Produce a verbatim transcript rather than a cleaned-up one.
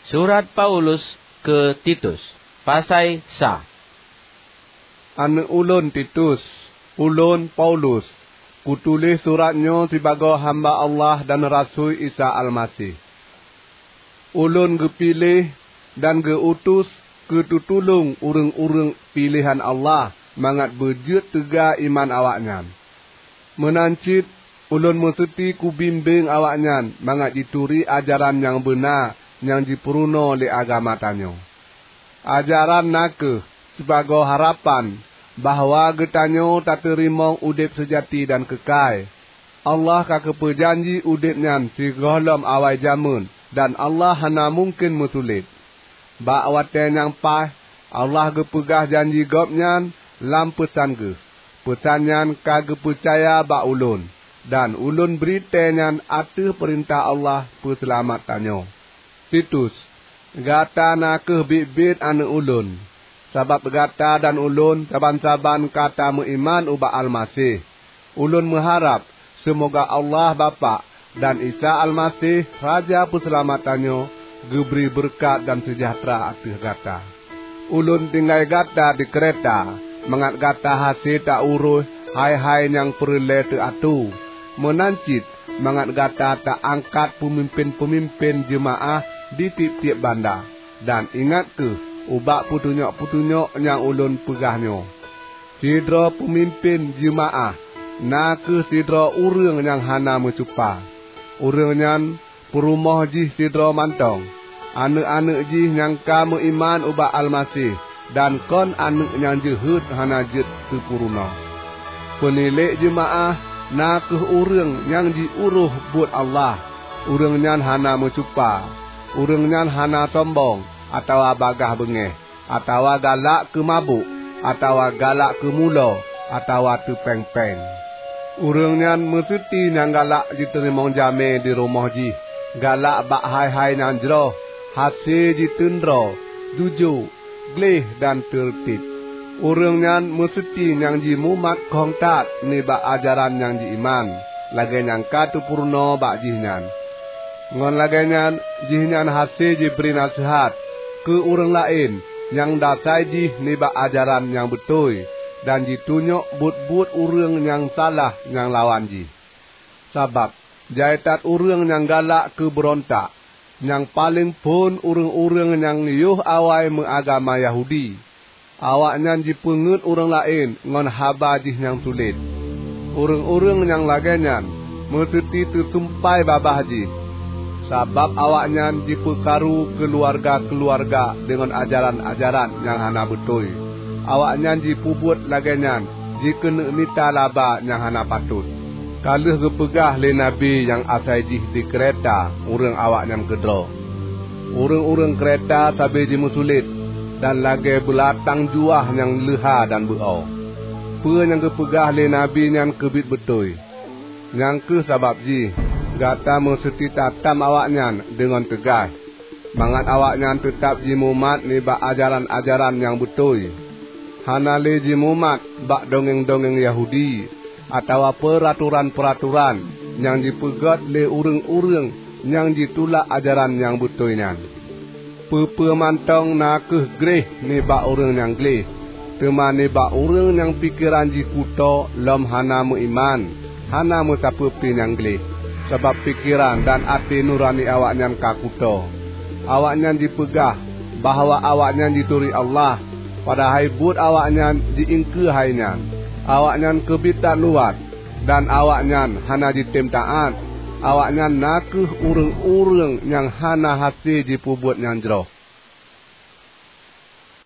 Surat Paulus keu Titus, pasai sa. Aneuëk ulôn Titus, ulôn, Paulus, kutuléh surat nyoe sibagoe hamba Allah dan rasui Isa Almaseh. Ulôn geupiléh dan geu-utus keu tutulông ureuëng-ureuëng piléhan Allah mangat beujeuet teuga iman awaknyan. Meunan cit ulôn meuseuti kubimbéng awaknyan mangat jituri ajaran nyang beuna nyang jipeurunoe lé agama tanyoe. Ajaran na kheueh sibagoe harapan bahwa geutanyoe tateurimong udeb seujati dan keukai. Allah ka geupeujanji udeb nyan sigohlom awai jamén, dan Allah hana mungken meusulet. Bak watée nyang paih, Allah geupeugah janji Gobnyan lam peusan Geuh. Peusan nyan ka geupeucaya bak ulôn, dan ulôn bri tée nyan ateueh peurintah Allah Peuseulamat tanyoe. Titus, gata na kheueh biet-biet aneuëk ulôn, sabab gata dan ulôn saban-saban ka tameuiman ubak Almaseh. Ulôn meuharab seumoga Allah Bapak dan Isa Almaseh, Raja Peuseulamat tanyoe, geubri beureukat dan seujahteura ateueh gata. Ulôn tinggai gata di Kreta mangat gata hase ta-uroh hai-hai nyang peureulée teuatoe, meunan cit mangat gata ta-angkat peumimpén-peumimpén jeumaáh di tieb-tieb banda. Dan ingat kheueh ubak peutunyok-peutunyok nyang ulôn peugah nyoe. Sidroe peumimpén jeumaáh na kheueh sidroe ureuëng nyang hana meucupa. Ureuëng nyan peurumoh jih sidroe mantong. Aneuëk-aneuëk jih nyang ka meuiman ubak Almaseh dan kon aneuëk nyang jeuhet hana jeuet teupeurunoe. Peunilék jeumaáh na kheueh ureuëng nyang jiuroh buet Allah. Ureuëng nyan hana meucupa, ureuëng nyan hana sombong, atawa bagaih beungéh, atawa galak keu mabök, atawa galak keu mulo, atawa teupéng-péng. Ureuëng nyan meuseuti nyang galak jiteurimong jamé di rumoh jih, galak bak hai-hai nyang jroh, hase jiteundroe, jujoe, gleh dan teureutéb. Ureuëng nyan meuseuti nyang jimumat khong that nibak ajaran nyang jiiman, lagée nyang ka teupeurunoe bak jihnyan. Ngon lagée nyan, jihnyan hase jibri naseuhat keu ureuëng laén nyang dasai jih nibak ajaran nyang beutôi, dan jitunyok buet-buet ureuëng nyang salah nyang lawan jih. Sabab jai that ureuëng nyang galak keu beurontak, nyang paleng phon ureuëng-ureuëng nyang yoh awai meuagama Yahudi. Awaknyan jipeungeuet ureuëng laén ngon haba jih nyang sulet. Ureuëng-ureuëng nyang lagée nyan meuseuti teusumpai babah jih, sabab awaknyan jipeukaru keuluwarga-keuluwarga deungon ajaran-ajaran nyang hana beutôi. Awaknyan jipeubuet lagée nyan jikeuneuk mita laba nyang hana patot. Ka lheueh geupeugah lé nabi nyang asai jih di Kreta ureuëng awaknyan keudroe, "Ureuëng-ureuëng Kreta sabe jimeusulet dan lagée beulatang juah nyang leuha dan beu-o." Peue nyang geupeugah lé nabi nyan keubiet beutôi. Nyang kheueh sabab jih gata meuseuti tatam awaknyan deungon teugaih, mangat awaknyan teutab jimumat nibak ajaran-ajaran nyang beutôi. Hana lé jimumat bak dongeng-dongeng Yahudi atawa peuratoran-peuratoran nyang jipeugét lé ureuëng-ureuëng nyang jitulak ajaran nyang beutôi nyan. Peue-peue mantong na kheueh gleh nibak ureuëng nyang gleh, teuma nibak ureuëng nyang pikeran jih kutoe lom hana meuiman, hana meusapeue pi nyang gleh, sabab pikeran dan até nurani awaknyan ka kutoe. Awaknyan jipeugah bahwa awaknyan jituri Allah, padahai buet awaknyan ji-iengkeue hai nyan. Awaknyan keubiet that luwat, dan awaknyan hana jitem taát. Awaknyan na kheueh ureuëng-ureuëng nyang hana hase jipeubuet nyang jroh.